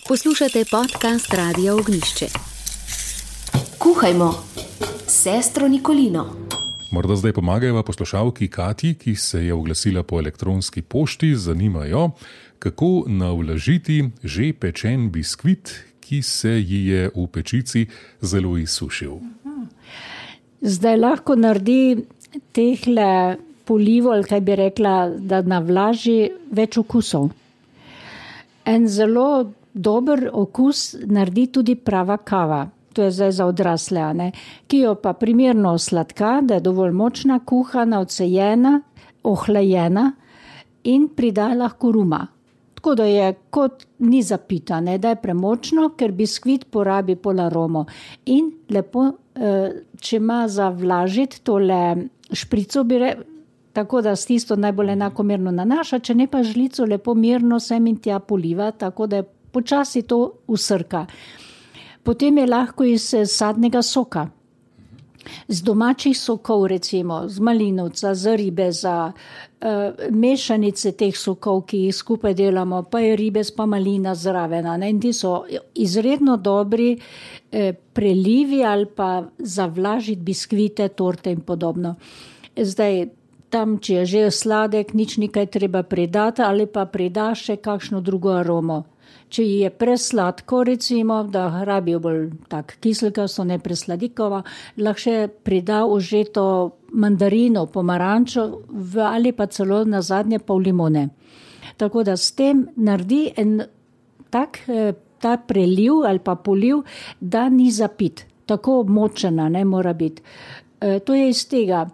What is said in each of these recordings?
Poslušate podcast Radia Ognjišče. Kuhajmo s sestro Nikolino. Morda zdaj pomagajo poslušalki Katji, ki se je oglasila po elektronski pošti, zanimajo, kako navlažiti že pečen biskvit, ki se ji je v pečici zelo izsušil. Zdaj lahko naredi tehle polivo, ali kaj bi rekla, da navlaži več okusov. En zelo dober okus naredi tudi prava kava. To je zdaj za odrasle, ne? Ki jo pa primerno sladka, da je dovolj močna, kuhana, odsejena, ohlajena in prida lahko ruma. Tako da je kot ni zapita, ne? Da je premočno, ker biskvit porabi pol aromo. In lepo, če ima za vlažiti tole šprico, tako da s tisto najbolj enakomerno nanaša, če ne pa žlico lepo mirno sem in tja poliva, tako da je počasi to usrka. Potem je lahko iz sadnega soka, z domačih sokov recimo, z malinovca, z ribeza, mešanice teh sokov, ki jih skupaj delamo, pa je ribez pa malina zraven. In ti so izredno dobri prelivi ali pa zavlažiti biskvite, torte in podobno. Zdaj, tam, če je že sladek, nič nekaj treba pridati ali pa prida še kakšno drugo aromo. Če je presladko, recimo, da rabijo bolj tak kiselkasto, ne presladikova, lahko še prida užeto mandarino, pomarančo ali pa celo nazadnje pol limone. Tako da s tem naredi en tak ta preliv ali pa poliv, da ni zapit. Tako močena ne mora biti. To je iz tega.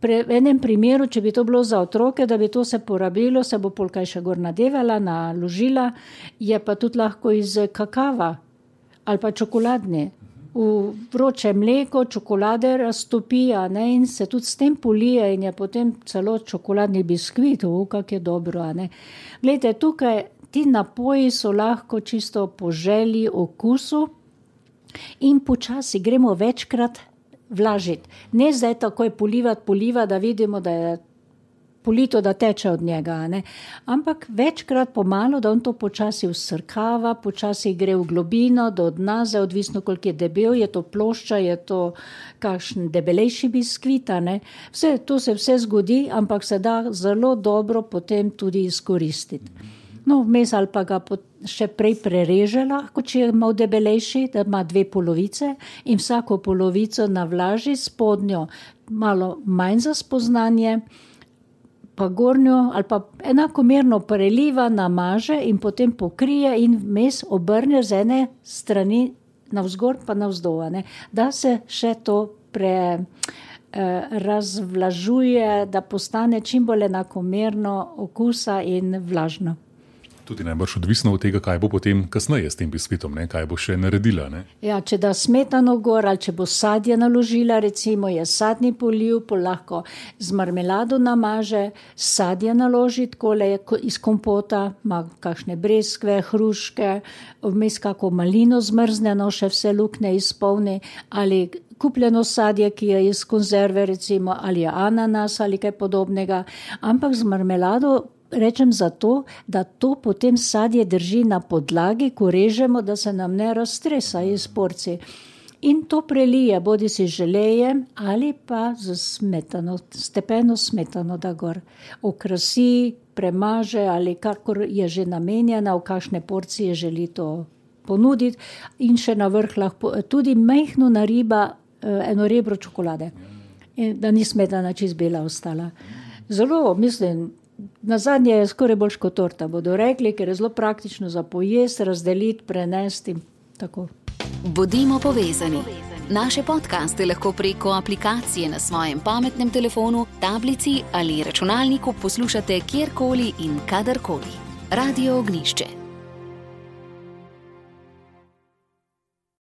V enem primeru, če bi to bilo za otroke, da bi to se porabilo, se bo polkaj še gor nadevala, naložila, je pa tudi lahko iz kakava ali pa čokoladne. V vroče mleko čokolade raztopija, ne, in se tudi s tem polije in je potem celo čokoladni biskvit, kak je dobro. Ne. Glejte, tukaj ti napoji so lahko čisto po želji, okusu in počasi gremo večkrat vlažiti. Ne zdaj takoj polivati, da vidimo, da je polito, da teče od njega. Ne? Ampak večkrat pomalo, da on to počasi usrkava, počasi gre v globino, do dna, zdaj odvisno, koliko je debel, je to plošča, je to kakšen debelejši biskvit. To se vse zgodi, ampak se da zelo dobro potem tudi izkoristiti. No, vmes ali pa ga še prej prereže lahko, če je malo debelejši, da ima 2 polovice in vsako polovico navlaži, spodnjo malo manj za spoznanje, pa gornjo ali pa enakomerno preliva, namaže in potem pokrije in vmes obrne z ene strani navzgor pa navzdol, da se še to razvlažuje, da postane čim bolj enakomerno okusa in vlažno. Tudi najbrž odvisno od tega, kaj bo potem kasneje s tem biskvitom, ne? Kaj bo še naredila. Ne? Ja, če da smetano gor ali če bo sadje naložila, recimo je sadni poliv, lahko z marmelado namaže, sadje naloži, takole iz kompota, ima kakšne breskve, hruške, vmes kako malino zmrzneno, še vse luknje izpolni, ali kupljeno sadje, ki je iz konzerve, recimo, ali je ananas ali kaj podobnega, ampak z marmelado rečem zato, da to potem sadje drži na podlagi, ko režemo, da se nam ne raztresa iz porcij. In to prelije, bodi si želejem ali pa z smetano, stepeno smetano, da gor okrasi, premaže ali kakor je že namenjena, v kakšne porcije želi to ponuditi. In še na vrh lahko tudi majhno nariba eno rebro čokolade, da ni smetana čist bela ostala. Zelo, mislim, nazadnje je skoraj boljš kot torta, bodo rekli, ker je zelo praktično za pojesti, razdeliti, prenesti in tako. Bodimo povezani. Naše podcaste lahko preko aplikacije na svojem pametnem telefonu, tablici ali računalniku poslušate kjerkoli in kadarkoli. Radio Ognjišče.